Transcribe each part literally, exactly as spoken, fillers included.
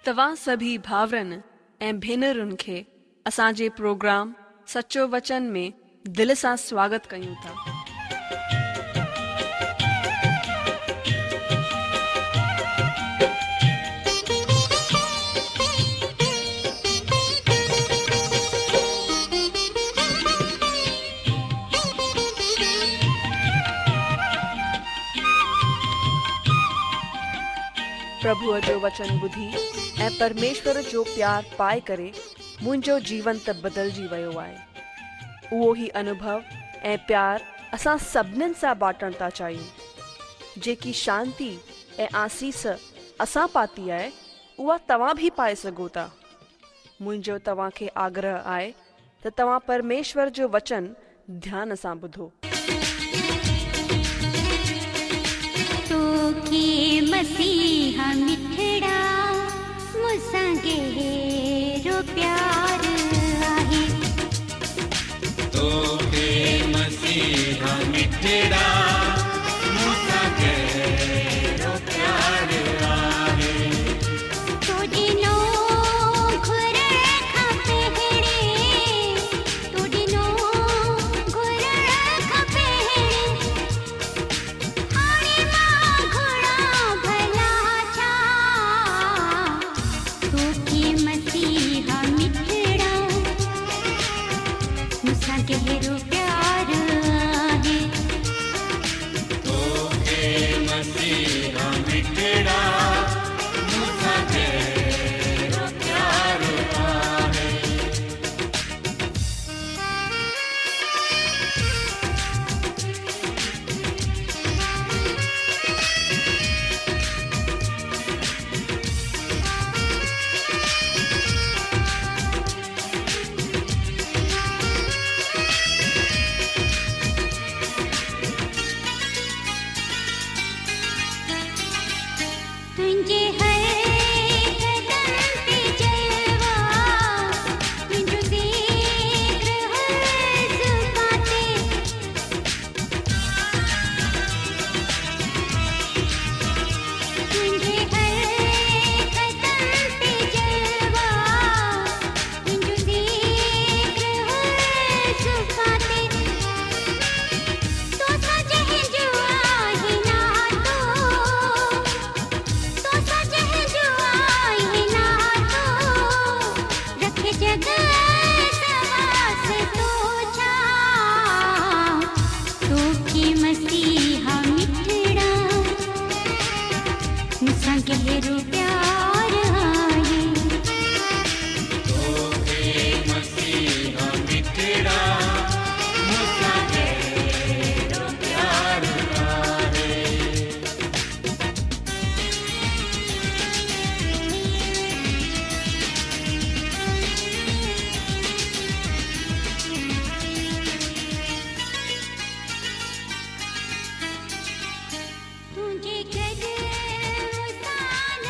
توهان سڀئي ڀائرن ۽ ڀينرن کي اسان جي پروگرام سچو وچن ۾ دل سان سواگت ڪيون ٿا. پرڀوءَ جو وچن ٻڌي ۽ پرميشور جو پيار پائي ڪري منهنجو جيون ته بدلجي ويو آهي. اهو ئي انوڀو ۽ پيار اسان سڀنين سان بانٽڻ ٿا چاهيون. جيڪي شانتي ۽ آسيس اسان پاتي آهي اها توهان به پائي سگهو ٿا. منهنجو توهان کي آگرهه آهي ته توهان پرميشور جو وچن ڌيان سان ٻڌو. توکي مسيحا مٺڙا مون سان گهرو پيار آهي. توکي مسيحا مٺڙا مون سان گهرو پيار آهي. تو ڏنو گهرڻ کان پهرين، تو ڏنو گهرڻ کان پهرين، هاڻي مان گهران ڀلا ڇا؟ توکي مسيحا مٺڙا مون سان گهرو پيار آهي. توکي مسيحا مٺڙا مون سان گهرو پيار آهي. तुंहिंजे हर कदम ते जलवा, तुंहिंजो ज़िक्र हर ज़ुबान ते. तुंहिंजे हर कदम ते जलवा, तुंहिंजो ज़िक्र हर ज़ुबान ते. तोसां जंहिंजो आहे नातो, तोसां जंहिंजो आहे नातो, रखे जग सवास तो छा? तोखे मसीहा मिठड़ा मूंसां गहिरो प्यार आहे. तोखे मसीहा मिठड़ा मूंसां गहिरो प्यार आहे. तुंहिंजे गॾु मूंसां न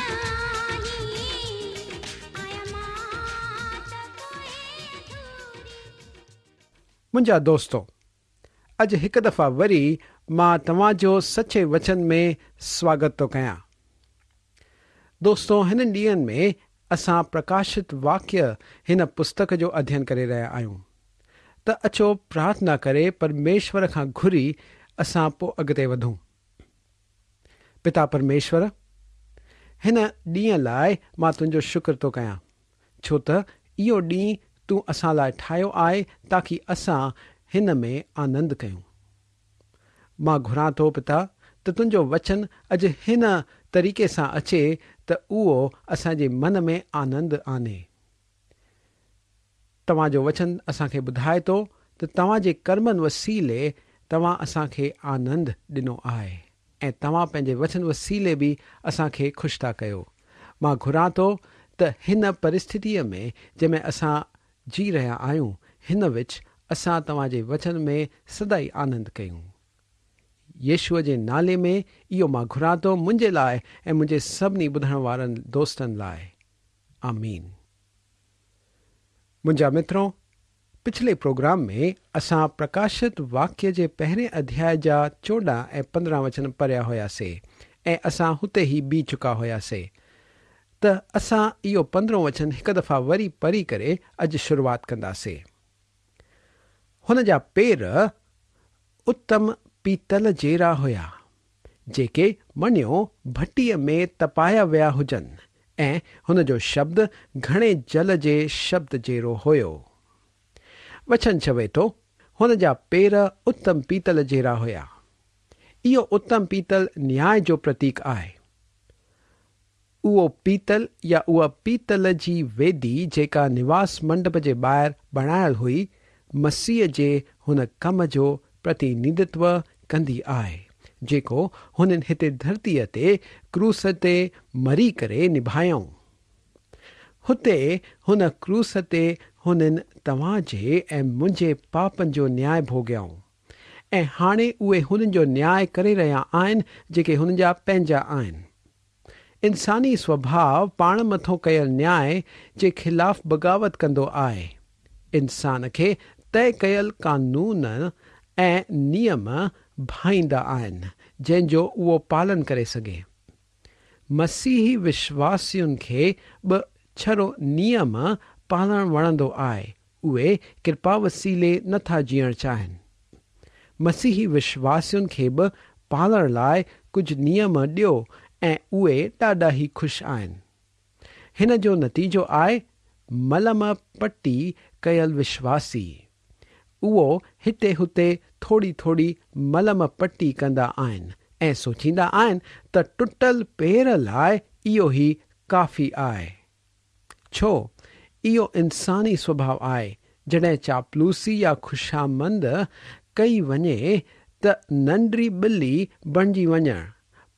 आहीं, आहियां मान त पोइ अधूरी. मुंहिंजा दोस्तो, अॼु हिकु दफ़ा वरी मां तव्हांजो सचे वचन में स्वागत थो कयां। दोस्तो, हिननि ॾींहंनि में असां प्रकाशित वाक्य हिन पुस्तक जो अध्ययन करे रहिया आहियूं। त अचो प्रार्थना करे परमेश्वर खां घुरी असां पोइ अॻिते वधूं। पिता परमेश्वर, हिन ॾींहं लाइ मां तुंहिंजो शुक्र थो कयां, छो त इहो ॾींहुं तूं असां लाइ ठाहियो आहे ताकी असां हिन में आनंद कयूं। मां घुरां थो पिता त तुंहिंजो वचन अॼु हिन तरीक़े सां अचे त उहो असांजे मन में आनंद आने। तव्हांजो वचन असांखे ॿुधाए थो त तव्हांजे कर्मनि वसीले तव्हां असांखे आनंद ॾिनो आहे ऐं तव्हां पंहिंजे वचन वसीले बि असांखे ख़ुशि था कयो। मां घुरां थो त हिन परिस्थितीअ में जंहिंमें असां जी रहिया आहियूं, हिन विच असां तव्हांजे वचन में सदाई आनंद कयूं। यीशुअ जे नाले में इहो मां घुरां थो मुंहिंजे लाइ ऐं मुंहिंजे सभिनी ॿुधण वारनि दोस्तनि लाइ। आमीन। मुंहिंजा मित्रों, पिछले प्रोग्राम में असां प्रकाशित वाक्य जे पहिरें अध्याय जा चोॾहं ऐं पंद्रहं वचन पढ़िया हुयासीं ऐं असां हुते ई बीह चुका हुयासीं। त असां इहो पंद्रहों वचन हिकु दफ़ा वरी पढ़ी करे अॼु शुरूआत कंदासीं। हुन जा पेर उत्तम पीतल जहिड़ा हुया, जेके मञियो भटीअ में तपाया विया हुजनि ऐं हुन जो शब्द घणे जल जे शब्द जहिड़ो हुयो। वचन चवे थो, हुन जा पेर उत्तम पीतल जहिड़ा हुया। इहो उत्तम पीतल न्याय जो प्रतीक आहे। उहो पीतल या उहा पीतल जी वेदी जेका निवास मंडप जे ॿाहिरि बणायल हुई, मसीह जे हुन कम जो प्रतिनिधित्व कंदी आहे जेको हुननि हिते धरतीअ ते क्रूस ते मरी करे निभायऊं। हुते हुन क्रूस ते हुननि तव्हांजे ऐं मुंहिंजे पापनि जो न्याय भोॻियऊं ऐं हाणे उहे हुननि जो न्याय करे रहिया आहिनि जेके हुननि जा पंहिंजा आहिनि। इंसानी स्वभाव पाण मथां कयल न्याय जे ख़िलाफ़ बग़ावत कंदो आहे। इंसान खे तय कयल कानून ऐं नियम भाईंदा आहिनि जंहिंजो उहो पालन करे सघे। मसीही विश्वासियुनि खे बि छड़ो नियम पालण वणंदो आहे, उहे कृपा वसीले नथा जीअणु चाहिनि। मसीही विश्वासियुनि खे बि पालण लाइ कुझु नियम ॾियो ऐं उहे ॾाढा ई ख़ुशि आहिनि। हिन जो नतीजो आहे मलम पट्टी कयल विश्वासी। उहो हिते हुते थोरी थोरी मलम पट्टी कंदा आहिनि ऐं सोचींदा आहिनि त टुटल पेर लाइ इहो ई काफ़ी आहे। छो इहो इंसानी स्वभाव आहे। जॾहिं चापलूसी या ख़ुशामंद कई वञे त नंढड़ी ॿिली बणिजी वञणु,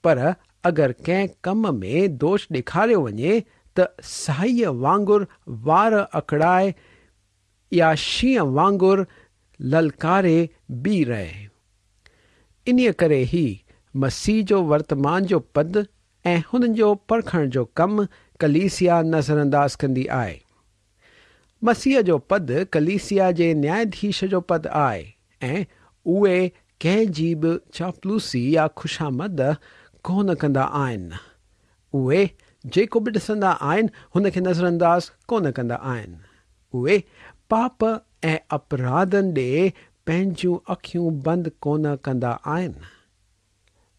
पर अगरि कंहिं कम में दोष ॾेखारियो वञे त साईअ वांगुरु वार अकड़ाए या शींहं वांगुरु ललकारे बीह रहे। इन्हीअ करे ई मसीह जो वर्तमान जो पद ऐं हुननि जो परखण जो कमु कलीसिया नज़रअंदाज़ कंदी आहे। मसीह जो पद कलीसिया जे न्यायाधीश जो पद आहे ऐं उहे कंहिंजी बि चापलूसी या ख़ुशामद कोन कंदा आहिनि। उहे जेको बि ॾिसंदा आहिनि हुनखे नज़रअंदाज़ कोन कंदा आहिनि। उहे पाप ऐं अपराधनि ॾे पंहिंजूं अखियूं बंदि कोन कंदा आहिनि।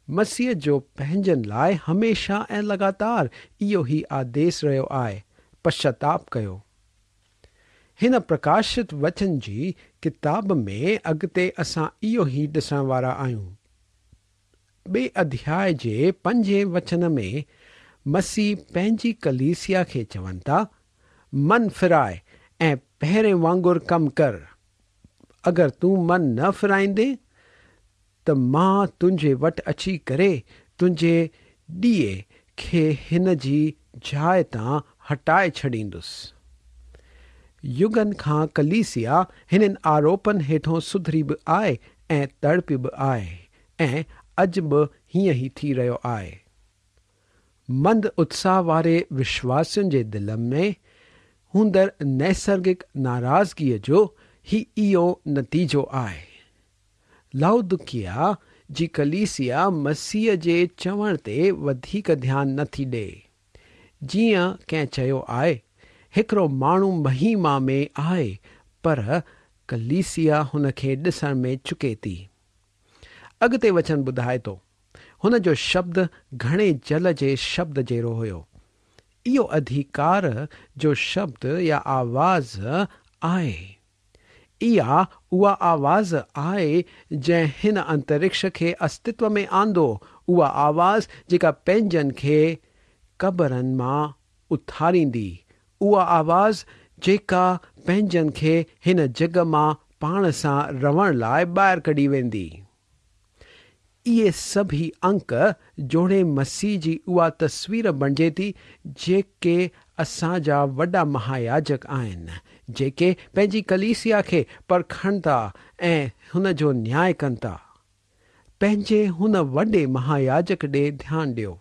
मसीह जो पंहिंजनि लाइ हमेशह ऐं लगातार इहो ई आदेश रहियो आहे, पश्चाताप कयो। हिन प्रकाशित वचन जी किताब में अॻिते असां इहो ई ॾिसण वारा आहियूं। ॿिए अध्याय जे पंजे वचन में मसीह पंहिंजी कलीसिया खे चवनि था, मन फिराए ऐं पहिरें वांगुरु कमु कर। अगरि तूं मन न फिराईंदे त मां तुंहिंजे वटि अची करे तुंहिंजे ॾीए खे हिन जी जाइ तां हटाए छॾींदुसि। युगनि खां कलीसिया हिननि आरोपनि हेठों सुधरी बि आहे ऐं तड़पी बि आहे ऐं अॼु बि हीअं ई थी रहियो आहे। मंद उत्साह वारे विश्वासियुनि जे दिलि में हूंदड़ नैसर्गिक नाराज़गीअ जो ही इहो नतीजो आहे। लाउदिकिया जी कलीसिया मसीह जे चवण ते वधीक ध्यानु नथी ॾिए। जीअं कंहिं चयो आहे, हिकिड़ो माण्हू महिमा में आहे, पर कलीसिया हुनखे ॾिसण में चुके थी। अॻिते वचन ॿुधाए थो, हुन जो शब्द घणे जल जे शब्द जहिड़ो हुयो। इहो अधिकार जो शब्द या आवाज़ आहे। इहा उहा आवाज़ आहे जंहिं हिन अंतरिक्ष खे अस्तित्व में आंदो, उहा आवाज़ जेका पंहिंजनि खे क़बरनि मां उथारींदी, उहा आवाज़ जेका पंहिंजनि खे हिन जॻ मां पाण सां रहण लाइ ॿाहिरि कढी वेंदी। इहे सभई अंक जोड़े मसीह जी उहा तस्वीर बणिजे थी जेके असांजा वॾा महायाजक आहिनि, जेके पंहिंजी कलीसिया खे परखनि था ऐं हुन जो न्याय कनि था। पंहिंजे हुन वॾे महायाजक ॾे ध्यानु ॾियो।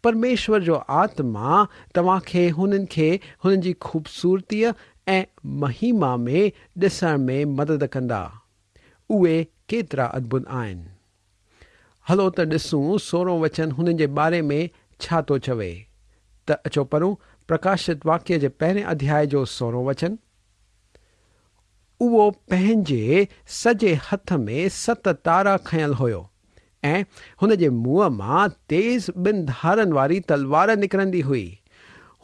परमेश्वर जो आत्मा तव्हांखे हुननि खे हुननि जी ख़ूबसूरतीअ ऐं महिमा में ॾिसण में मदद कंदा। उहे केतिरा अद्भुत आहिनि। हलो त ॾिसूं सोरहों वचन हुननि जे बारे में छा थो चवे। त अचो पढ़ूं प्रकाशित वाक्य जे पहिरें अध्याय जो सोरहों वचन। उहो पंहिंजे सॼे हथ में सत तारा खयल हुयो ऐं हुन जे मुंहं मां तेज़ ॿिनि धारनि वारी तलवार निकिरंदी हुई।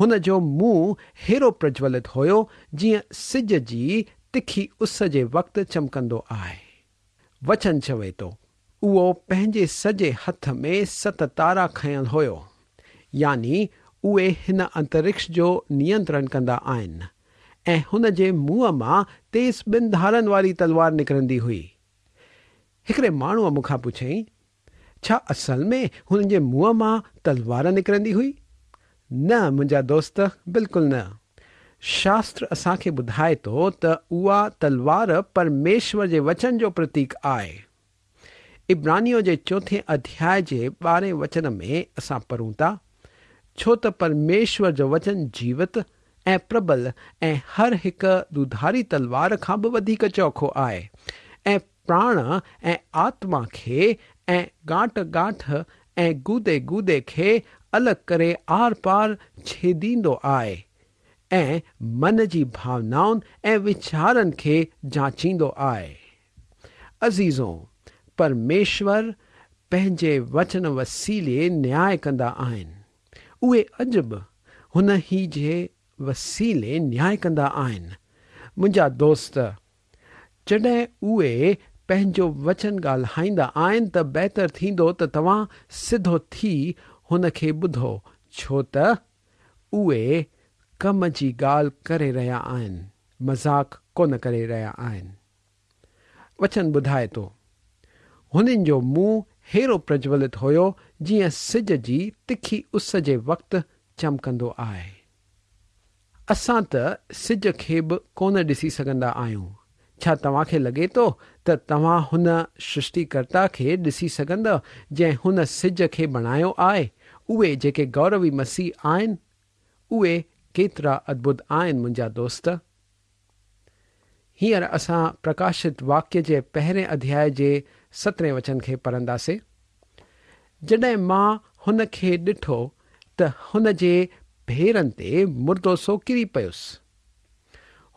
हुन जो मुंहुं हेरो प्रज्वलित हुयो जीअं सिज जी तिखी उस जे वक़्तु चमकंदो आहे। वचन चवे थो, उहो पंहिंजे सॼे हथ में सत तारा खयल हुयो, यानी उहे हिन अंतरिक्ष जो नियंत्रण कंदा आहिनि ऐं हुन जे मुंहं मां तेज़ ॿिनि धारनि वारी तलवार निकिरंदी हुई। हिकिड़े माण्हूअ मूंखां पुछयईं, छा असल में हुन जे मुंहं मां तलवार निकिरंदी हुई? न मुंहिंजा दोस्त, बिल्कुलु न। शास्त्र असांखे ॿुधाए थो त उहा तलवार परमेश्वर जे वचन जो प्रतीक आहे। इब्रानियों जे चोथें अध्याय जे ॿारहें वचन में असां पढ़ूं था, छो त परमेश्वर जो वचन जीवत ऐं प्रबल ऐं हर हिकु दुधारी तलवार खां बि वधीक चोखो आहे ऐं प्राण ऐं आत्मा खे ऐं गांठ गांठ ऐं गूदे गूदे खे अलॻि करे are पार छेदींदो आहे ऐं मन जी भावनाउनि ऐं वीचारनि खे जांचींदो आहे। अज़ीज़ो, परमेश्वर पंहिंजे वचन वसीले न्याय कंदा आहिनि। उहे अॼु बि हुन ई जे वसीले न्याय कंदा आहिनि। मुंहिंजा दोस्त, जॾहिं उहे पंहिंजो वचन ॻाल्हाईंदा आहिनि त बहितर थींदो त तव्हां सिधो थी हुन खे ॿुधो, छो त उहे कम जी ॻाल्हि करे रहिया आहिनि, मज़ाक कोन करे रहिया आहिनि। वचन ॿुधाए थो, हुननि जो मुंहुं हेरो प्रज्वलित हुयो जीअं सिज जी तिखी उस जे वक़्तु चमकंदो आहे। असां त सिज खे बि कोन ॾिसी सघंदा आहियूं। छा तव्हांखे लॻे थो त तव्हां हुन सृष्टिकर्ता खे ॾिसी सघंदव जंहिं हुन सिज खे बणायो आहे? उहे जेके गौरवी मसीह आहिनि, उहे केतिरा अद्भुत आहिनि मुंहिंजा दोस्त। हींअर असां प्रकाशित वाक्य जे पहिरें अध्याय जे सतरहें वचन खे पढ़ंदासीं। जॾहिं मां हुन खे ॾिठो त हुन जे भेरनि ते मुर्दो सो किरी पयुसि।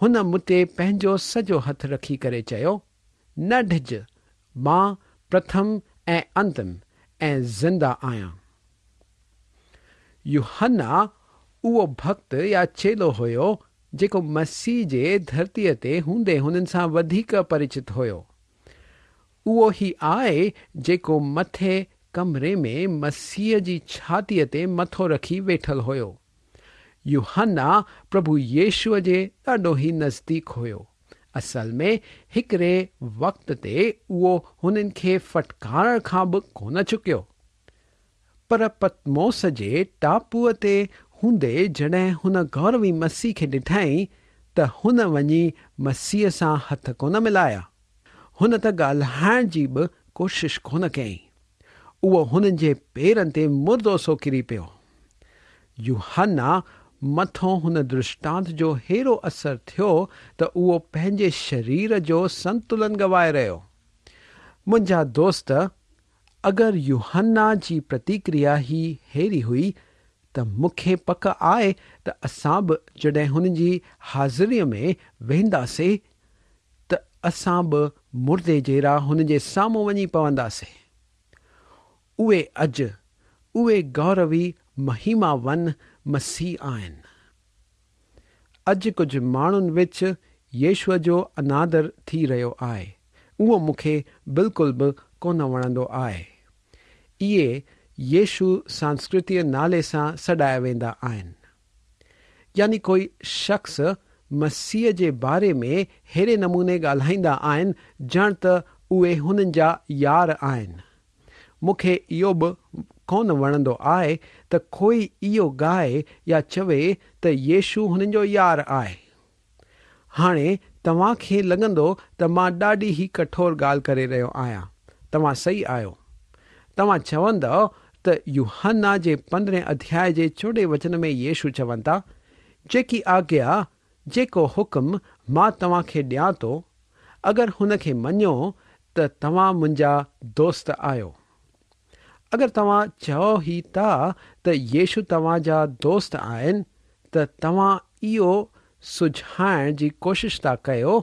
हुन मूं ते पंहिंजो सॼो हथु रखी करे चयो, न ढिज, मां प्रथम ऐं अंतिम ऐं ज़िंदा आहियां। यूहन्ना उहो भक्त या चेलो हुयो जेको मसीह जे धरतीअ ते हूंदे हुननि सां वधीक परिचित हुयो। उहो ई आहे जेको मथे कमरे में मसीह जी छातीअ ते मथो रखी वेठल हुयो। यूहन्ना प्रभु यीशुअ जे ॾाढो ई नज़दीक हुयो। असल में हिकिड़े वक़्त ते उहो हुननि खे फटकारण खां बि कोन चुकियो, पर पतमोस जे टापूअ ते हूंदे जॾहिं हुन गौरवी मसीह खे ॾिठई त हुन वञी मसीह सां हथ कोन मिलाया। हुन त ॻाल्हाइण जी बि कोशिश कोन कयईं। उहो हुननि जे पेरनि ते मुर्दो सो किरी पियो। यूहन्ना मथों हुन दृष्टांत जो हेरो असर थियो त उहो पंहिंजे शरीर जो संतुलन गवाए रहियो। मुंहिंजा दोस्त, अगरि यूहन्ना जी प्रतिक्रिया ही हेरी हुई त मूंखे पक आहे त असां बि जॾहिं हुन जी हाज़िरीअ में वेंदासीं त असां बि मुर्दे जहिड़ा हुन जे साम्हूं वञी पवंदासीं। उहे अॼु उहे गौरवी महिमावन मसीह आहिनि। अॼु कुझु माण्हुनि विच यीशुअ जो अनादर थी रहियो आहे। उहो मूंखे बिल्कुलु बि कोन वणंदो आहे। इहे यीशु सांस्कृतीय नाले सां सॾाया वेंदा आहिनि। यानी कोई शख़्स मसीह जे बारे में अहिड़े नमूने ॻाल्हाईंदा आहिनि ॼण त उहे हुननि जा यार आहिनि। मूंखे इहो बि कोन वणंदो आहे त कोई इहो ॻाए या चवे त यीशु हुननि जो यार आहे। हाणे तव्हांखे लॻंदो त मां ॾाढी ई कठोर ॻाल्हि करे रहियो आहियां। तव्हां सही आहियो। तव्हां चवंदव त यूहन्ना जे पंद्रहें अध्याय जे चोॾहें वचन में यीशु चवनि था, जेकी आज्ञा, जेको हुकुम मां तव्हांखे ॾियां थो, अगरि हुनखे मञो त तव्हां मुंहिंजा दोस्त आहियो। اگر توهان چئو ئي ٿا ته يشو توهان جا دوست آهن، ته توهان اهو سجهائڻ جي ڪوشش ٿا ڪيو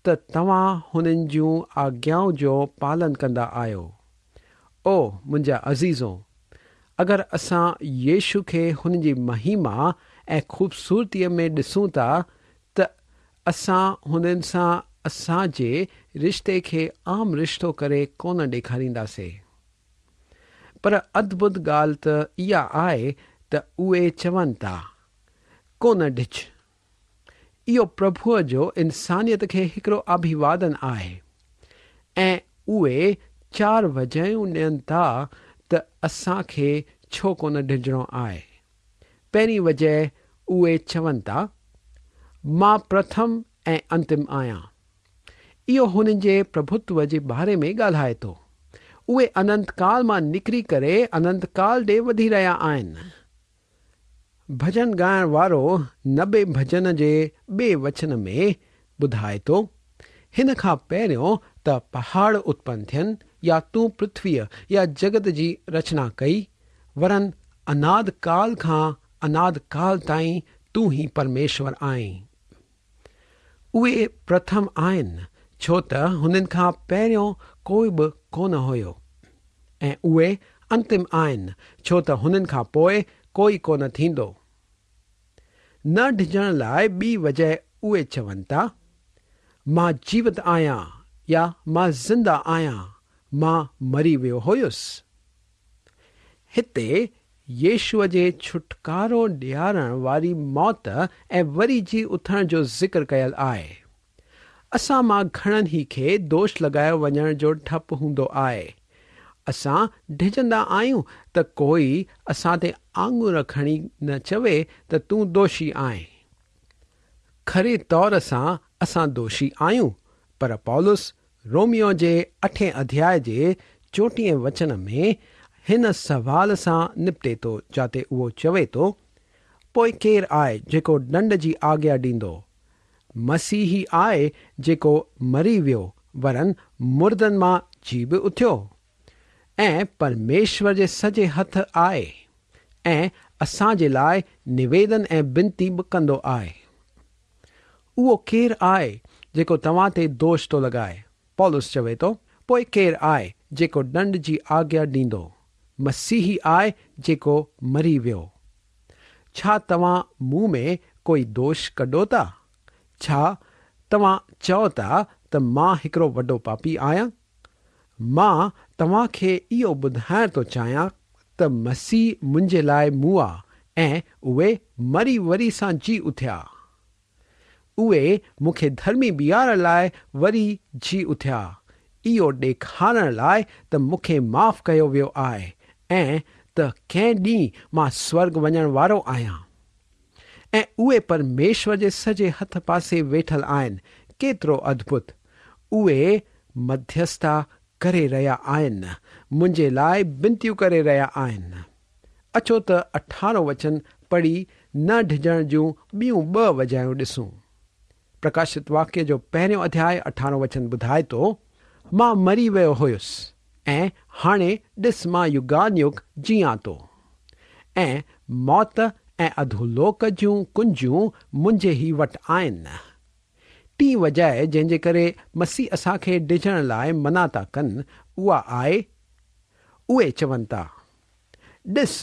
ته توهان هنن جون آگيائون جو پالن ڪندا آهيو. او منهنجا عزيزو، اگر اسان يشو کي هن جي مهما ۽ خوبصورتيءَ ۾ ڏسون ٿا ته اسان هنن سان اسان جي رشتي کي عام رشتو ڪري ڪونه ڏيکارينداسين. پر ادڀت ڳالهه ته اها آهي ته اهي چون ٿا، ڪونه ڊڄ. اهو پرڀوءَ جو انسانيت کي هڪڙو اڀوادن آهي ۽ اهي چار وجهون ڏين ٿا ته اسان کي ڇو ڪونه ڊڄڻو آهي. پهرين وجهه اهي چون ٿا، مان پرٿم ۽ انتم آهيان. اهو هنن جي پرڀتو جي باري ۾ ڳالهائي ٿو. اهي اننت ڪال مان نڪري ڪري اننت ڪال ڏي وڌي رهيا آهن. ڀڄن ڳائڻ وارو نبي ڀڄن جي ٻئي وچن ۾ ٻڌائي ٿو، هن کان پهريون ته پهاڙ اتپن ٿين يا تون پرٿويءَ يا جڳت جي رچنا ڪئي، ورن اناد ڪال کان اناد ڪال تائين تون ئي پرميشور آهين. اهي پرٿم آهن، ڇو ته هنن کان پهريون ڪوئي به ڪونه هيو، ۽ اهي انتم آهن، ڇو ته هنن کان پوءِ ڪوئي ڪونه ٿيندو. نه ڊڄڻ لاءِ ٻي وجهه اهي چون ٿا، مان جيوت آهيان يا مان زنده آهيان، مان مري ويو هيس. هتي يشوءَ جي ڇوٽڪارو ڏيارڻ واري موت ۽ وري جي اٿڻ جو ذڪر ڪيل آهي. اسان مان گهڻن ئي کي دوش لڳايو وڃڻ جو ڊپ هوندو آهي. اسان ڊڄندا آهيون ته ڪوئي اسان تي آڱر کڻي نه چوي ته تون دوشي آهين. کري طور سان اسان دوشي آهيون، پر پولس روميو جي اٺين اڌياءِ جي چوٽيهين وچن ۾ هن سوال سان نپٽي ٿو، جاتي اهو چوي ٿو، پوءِ ڪير آهي جيڪو ڏنڊ جي آگيا ڏيندو؟ مسيح ئي آهي جيڪو مري ويو، ورن مردن مان جي به اٿيو ۽ پرميشور جي سڄي هٿ آهي ۽ اسان جي لاءِ نويدن ۽ بنتي به ڪندو آهي. اهو ڪير آهي جيڪو توهان تي دوش ٿو لڳائي؟ پولس چوي ٿو، پوءِ ڪير آهي جيڪو ڏنڊ جي آگيا ڏيندو؟ مسيح ئي آهي جيڪو مري ويو. ڇا توهان مون ۾ ڪوئي دوش ڪڍو ٿا؟ ڇا توهان چئو ٿا ته مان هڪڙو وڏو پاپي آهيان؟ مان توهان کي اهو ٻڌائڻ ٿو چاهيان ته مسيح منهنجي لاءِ مئا ۽ اهي مري وري سان جي اٿيا. اهي مون کي ڌرمي بيهارڻ لاءِ وري جي اٿيا، اهو ڏيکارڻ لاءِ ته مون کي معاف ڪيو ويو آهي ۽ ته ڪنهن ڏينهن مان سورڳ وڃڻ وارو آهيان. ۽ اهي پرميشور جي سڄي هٿ پاسي ويٺل آهن. ڪيترو ادڀت! اهي مڌيسٿا ڪري رهيا آهن، منهنجي لاءِ بنتيون ڪري رهيا آهن. اچو ته اٺارهون وچن پڙهي نه ڊڄڻ جون ٻيون ٻه وجهيون ڏسون. پرڪاشت واڪيه جو پهريون اڌياءِ اٺارهون وچن ٻڌائي ٿو، مان مري ويو هيس ۽ هاڻي ڏس مان يگان يگ جيئان ٿو ۽ موت ۽ اڌولوڪ جون ڪنجيون منهنجي ئي وٽ آهن. ٽين وجهه جنهن جي ڪري مسيح اسان کي ڊڄڻ لاءِ منع ٿا ڪن اها آهي، اهي چون ٿا، ڏس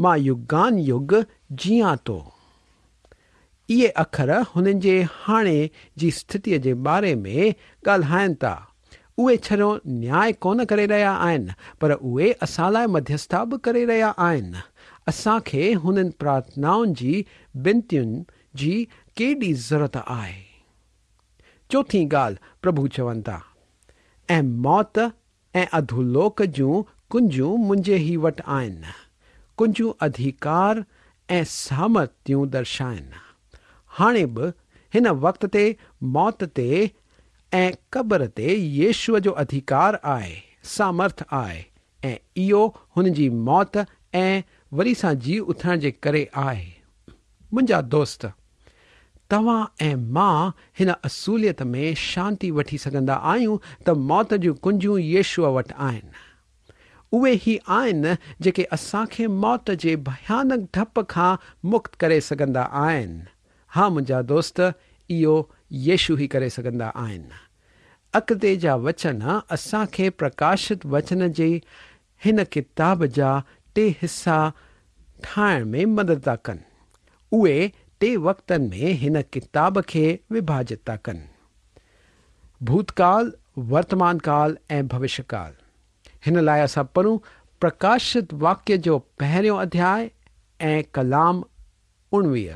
مان يگان يگ جيئان ٿو. اهي اکر هنن جي هاڻي جي اسٿتيءَ جي باري ۾ ڳالهائين ٿا. اهي ڇڙو نياءُ ڪونه ڪري رهيا آهن، پر اهي اسان لاءِ مڌيسٿا به ڪري رهيا آهن. اسان کي هنن پرارٿنائن جي بنتين جي ڪيڏي ضرورت آهي. چوٿين ڳالهه پرڀو چون ٿا، ۽ موت ۽ اڌولوڪ جون ڪنجيون منهنجي ئي وٽ آهن. ڪنجيون اڌڪار ۽ سامرٿيون درشائن. هاڻي به هن وقت تي موت تي ۽ قبر تي يشوءَ جو اڌڪار آهي، سامرٿ آهي، ۽ اهو هن جي موت ۽ وري سان جي اٿڻ جي ڪري آهي. منهنجا دوست، توهان ۽ مان هن اصوليت ۾ شانتي وٺي سگهندا آهيون ته موت جون ڪنجيون يشوءَ وٽ آهن. उहे ई आहिनि जेके असांखे मौत जे भयानक ढप खां मुक्त करे सघंदा आहिनि। हा मुंहिंजा दोस्त, इहो यीशु ई करे सघंदा आहिनि। अॻिते जा वचन असांखे प्रकाशित वचन जे हिन किताब जा टे हिसा ठाहिण में मदद था कनि। उहे टे वक़्तनि में हिन किताब खे विभाजित था कनि: भूतकाल, वर्तमान काल ऐं भविष्यकाल। हिन लाइ असां पढ़ूं प्रकाशित वाक्य जो पहिरियों अध्याय ऐं कलाम उणिवीह।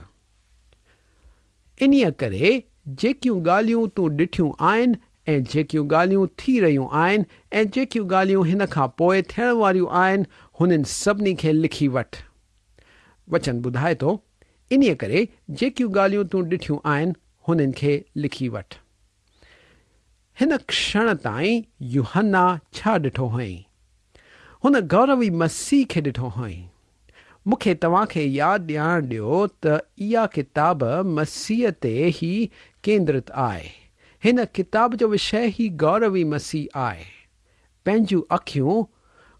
इन्हीअ करे जेकियूं ॻाल्हियूं तूं ॾिठियूं आहिनि ऐं जेकियूं ॻाल्हियूं थी रहियूं आहिनि ऐं जेकियूं ॻाल्हियूं हिन खां पोइ थियण वारियूं आहिनि, हुननि सभिनी खे लिखी वठि। वचन ॿुधाए थो, इन्हीअ करे जेकियूं ॻाल्हियूं तूं ॾिठियूं आहिनि हुननि खे लिखी वठि। हिन क्षण ताईं यूहन्ना छा ॾिठो हुअईं? हुन गौरवी मसीह खे ॾिठो हुअईं। मूंखे तव्हांखे यादि ॾियारण ॾियो त इहा किताब मसीह ते ई केंद्रित आहे। हिन किताब जो विषय ई गौरवी मसीह आहे। पंहिंजूं अखियूं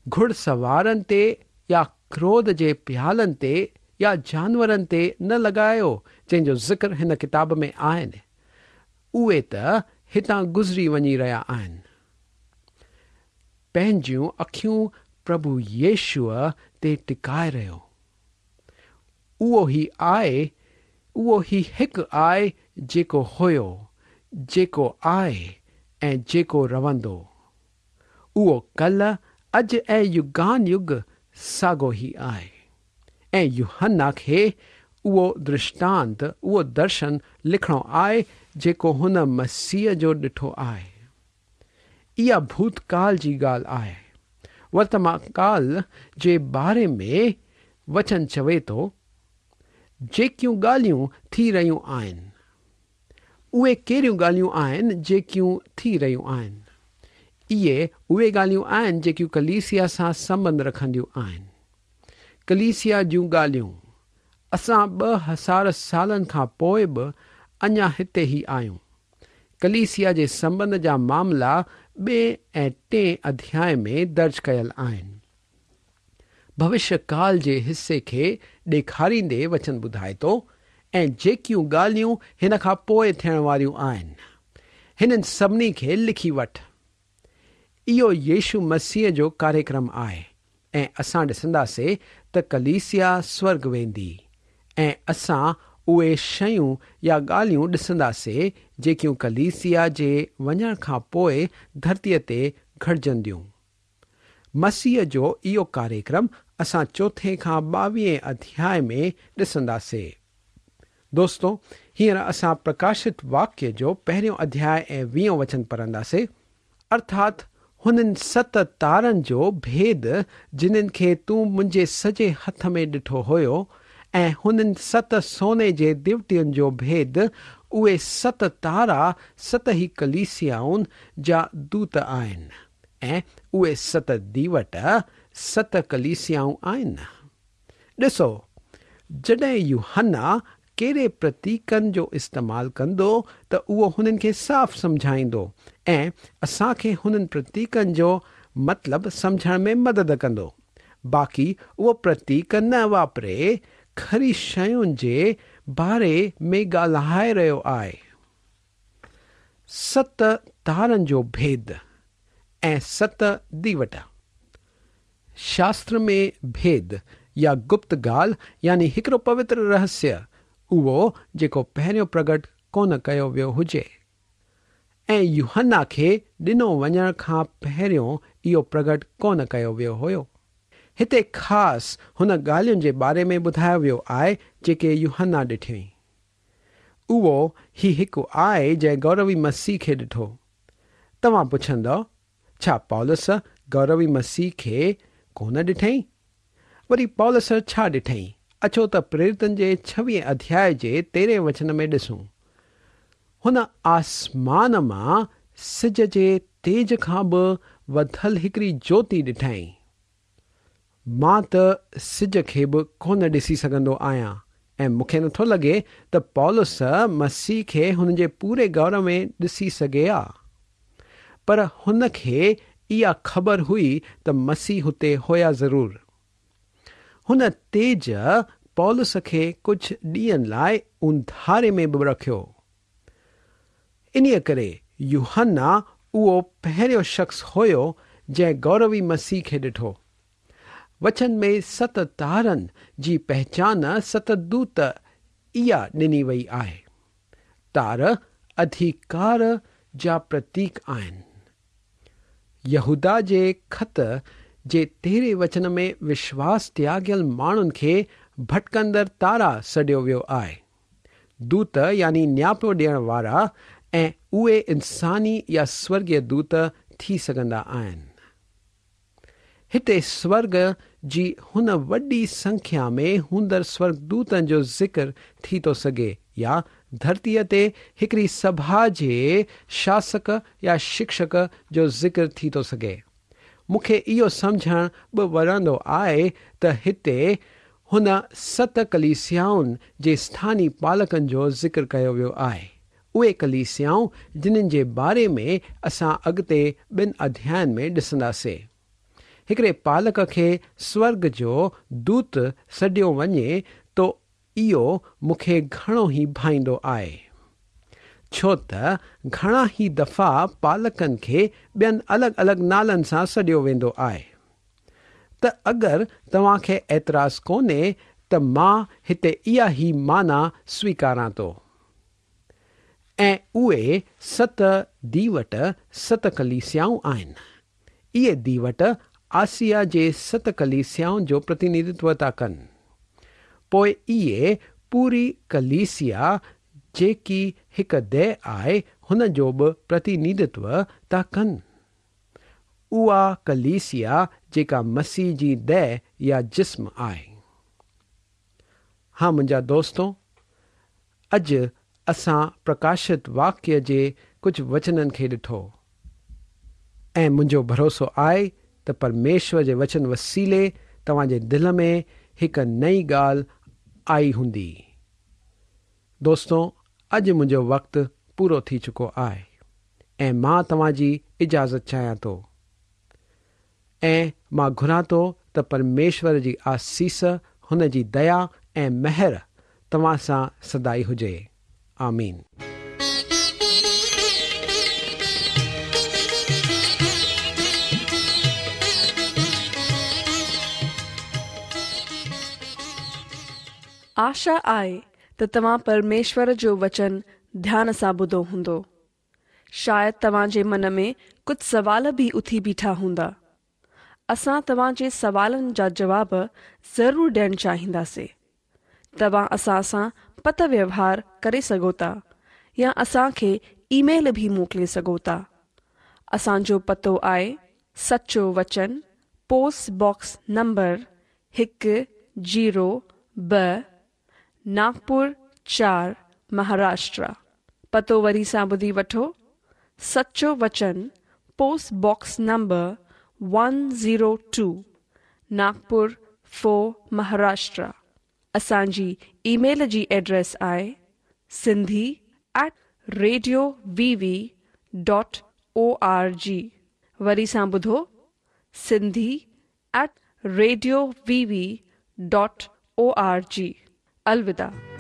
घुड़सवारनि ते या क्रोध जे प्यालनि ते या जानवरनि ते न लॻायो, जंहिंजो ज़िक्र हिन किताब में आहिनि। उहे त हितां गुज़री वञी रहिया आहिनि। पंहिंजूं अखियूं प्रभु यीशुअ ते टिकाए रहियो। उहो ई आहे, उहो ई हिकु आहे जेको हुयो, जेको आहे ऐं जेको रहंदो। उहो कल्ह, अॼु ऐं युगान युग साॻियो ई आहे। ऐं यूहन्ना खे उहो दृष्टांत, उहो दर्शन लिखिणो आहे जेको हुन मसीह जो ॾिठो आहे। इहा भूतकाल जी ॻाल्हि आहे। वर्तमान काल जे बारे में वचन चवे थो, जेकियूं ॻाल्हियूं थी रहियूं आहिनि, उहे कहिड़ियूं ॻाल्हियूं आहिनि जेकियूं थी रहियूं आहिनि? इहे उहे ॻाल्हियूं आहिनि जेकियूं कलीसिया सां संबंध रखंदियूं आहिनि। कलीसिया जूं ॻाल्हियूं असां ॿ हज़ार सालनि खां पोइ बि अञा हिते ई आहियूं। कलीसिया जे संबंध जा मामला ॿिए ऐं टे अध्याय में दर्ज कयल आहिनि। भविष्यकाल जे हिसे खे ॾेखारींदे वचन ॿुधाए थो, ऐं जेकियूं ॻाल्हियूं हिन खां पोइ थियण वारियूं आहिनि, हिननि सभिनी खे लिखी वठि। इहो यीशु मसीह जो कार्यक्रम आहे ऐं असां ॾिसंदासीं त कलीसिया स्वर्ग वेंदी ऐं असां उहे शयूं या ॻाल्हियूं ॾिसंदासीं जेकियूं कलीसिया जे वञण खां पोइ धरतीअ ते घटिजंदियूं। मसीह जो इहो कार्यक्रम असां चोथे खां ॿावीह अध्याय में ॾिसंदासीं। दोस्तो, हींअर असां प्रकाशित वाक्य जो पहिरियों अध्याय ऐं वीहों वचन पढ़ंदासीं। अर्थात हुननि सत तारनि जो भेद जिन्हनि खे तूं मुंहिंजे सॼे हथ में ॾिठो हुयो, ऐं हुननि सत सोने जे दिवटियुनि जो भेद, उहे सत तारा सत ई कलीसियाउनि जा दूत आहिनि ऐं उहे सत दीवट सत कलीसियाऊं आहिनि। ॾिसो, जॾहिं यूहन्ना कहिड़े प्रतीकनि जो इस्तेमालु कंदो त उहो हुननि खे साफ़ सम्झाईंदो ऐं असांखे हुननि प्रतीकनि जो मतिलबु सम्झण में मदद कंदो। बाक़ी उहो प्रतीक न वापरे खरी शयुनि जे बारे में ॻाल्हाए रहियो आहे। सत तारनि जो भेद ऐं सत दीवट। शास्त्र में भेद या गुप्त ॻाल्हि यानी हिकिड़ो पवित्र रहस्य, उहो जेको पहिरियों प्रगट कोन कयो वियो हुजे ऐं यूहन्ना खे ॾिनो वञण खां पहिरियों इहो प्रगट कोन कयो वियो हुयो। हिते ख़ासि हुन ॻाल्हियुनि जे बारे में ॿुधायो वियो आहे जेके यूहन्ना ॾिठियईं। उहो ई हिकु आहे जंहिं गौरवी मसीह खे ॾिठो। तव्हां पुछंदव, छा पौलुस गौरवी मसीह खे कोन ॾिठई? वरी पौलुस छा ॾिठई? अचो त प्रेरितनि जे छवीह अध्याय जे तेरहें वचन में ॾिसूं। हुन आसमान मां सिज जे तेज खां बि वधल हिकिड़ी ज्योति ॾिठई। मां त सिज खे बि कोन ॾिसी सघंदो आहियां ऐं मूंखे नथो लॻे त पौलुस मसीह खे हुन जे पूरे गौरव में ॾिसी सघे हा, पर हुन खे اها خبر هئي ته مسيح هتي هيا ضرور. هن تيج پولس کي ڪجهه ڏينهن لاءِ اونڌاري ۾ به رکيو. انهيء ڪري يوحنا اهو پهريون شخص هيو جنهن گوروي مسيح کي ڏٺو. وچن ۾ ست تارن جي پهچان ست دوت اها ڏني وئي آهي. تار اڌڪار جا پرتيڪ آهن. يهودا جي خط جي تيرهين وچن ۾ وشواس تياڳيل ماڻهن کي ڀٽڪندڙ تارا سڏيو ويو آهي. دوت يعني نياپو ڏيڻ وارا ۽ اهي انساني يا سورڳيه دوت ٿي سگهندا آهن. هتي سورڳ جي هن وڏي سنکيا ۾ هوندڙ سورڳدوتن جو ذڪر ٿي ٿو سگهي يا ڌرتيءَ تي هڪڙي سڀا جي شاسڪ يا شڪشڪ جو ذڪر ٿي ٿو سگهي. مون کي اهو سمجهڻ به وڻندو آهي ته هتي هن ست ڪليسيائن جي اسٿاني پالڪن جو ذڪر ڪيو ويو آهي. اهي ڪليسيائون جن جي باري ۾ اسان اڳتي ٻن اڌيائن ۾ ڏسنداسين. هڪڙي پالڪ کي سورڳ جو دوت سڏيو وڃي ته اهو مون کي گهڻو ئي ڀائيندو آهي، ڇو ته گهڻا ئي دفعا پالڪن کي ٻين الڳ الڳ نالن سان سڏيو ويندو آهي. ته اگر توهان کي اعتراض ڪونهي ته مان هتي اها ئي معنيٰ سويڪاران ٿو. ۽ اهي ست ديوٽ ست ڪليسيائون آهن. اهي ديوٽ آسيا جي ست ڪليسيائن جو پرتنڌتو ٿا ڪن. پوءِ اهي پوري ڪليسيا جيڪي هڪ ديهه آهي هن جو به پرتنڌتو ٿا ڪن. اها ڪليسيا جيڪا مسيح جي ديهه يا جسم آهي. ها منهنجا دوستو، اڄ اسان پرڪاشت واڪيه جي ڪجهه وچنن کي ڏٺو ۽ منهنجو ڀروسو آهي ته پرميشور جي وچن وسيلي توهان جي دل ۾ هڪ نئين ڳالهه آئي هوندي. دوستو، اڄ منهنجو وقت پورو ٿي چڪو آهي ۽ مان توهان جي اجازت چاهيان ٿو ۽ مان گهران ٿو ته پرميشور جي آسيس، هن جي ديا ۽ مهر توهان سان سدائين هجي. آمين. آشا آهي ته توهان پرميشور جو وچن ڌيان سان ٻڌو هوندو. شايد توهان جي من ۾ ڪجهه سوال به اٿي بيٺا هوندا. اسان توهان جي سوالن جا جواب ضرور ڏيڻ چاهينداسين. توهان اسان سان پتر ويوهار ڪري سگهو ٿا يا اسان کي اي ميل به موڪلي سگهو ٿا. اسان جو پتو آهي سچو وچن، پوسٽ باڪس نمبر هڪ زيرو ٻه، ناگپور چار، مهاراشٽر. پتو وري سان ٻڌي وٺو، سچو وچن، post box number one zero two, Nagpur four, Maharashtra. اسان جي اي ميل جي ايڊريس آهي Sindhi at radio V V dot O R G. وري سان ٻڌو، Sindhi at radio V V dot O R G. الوداع.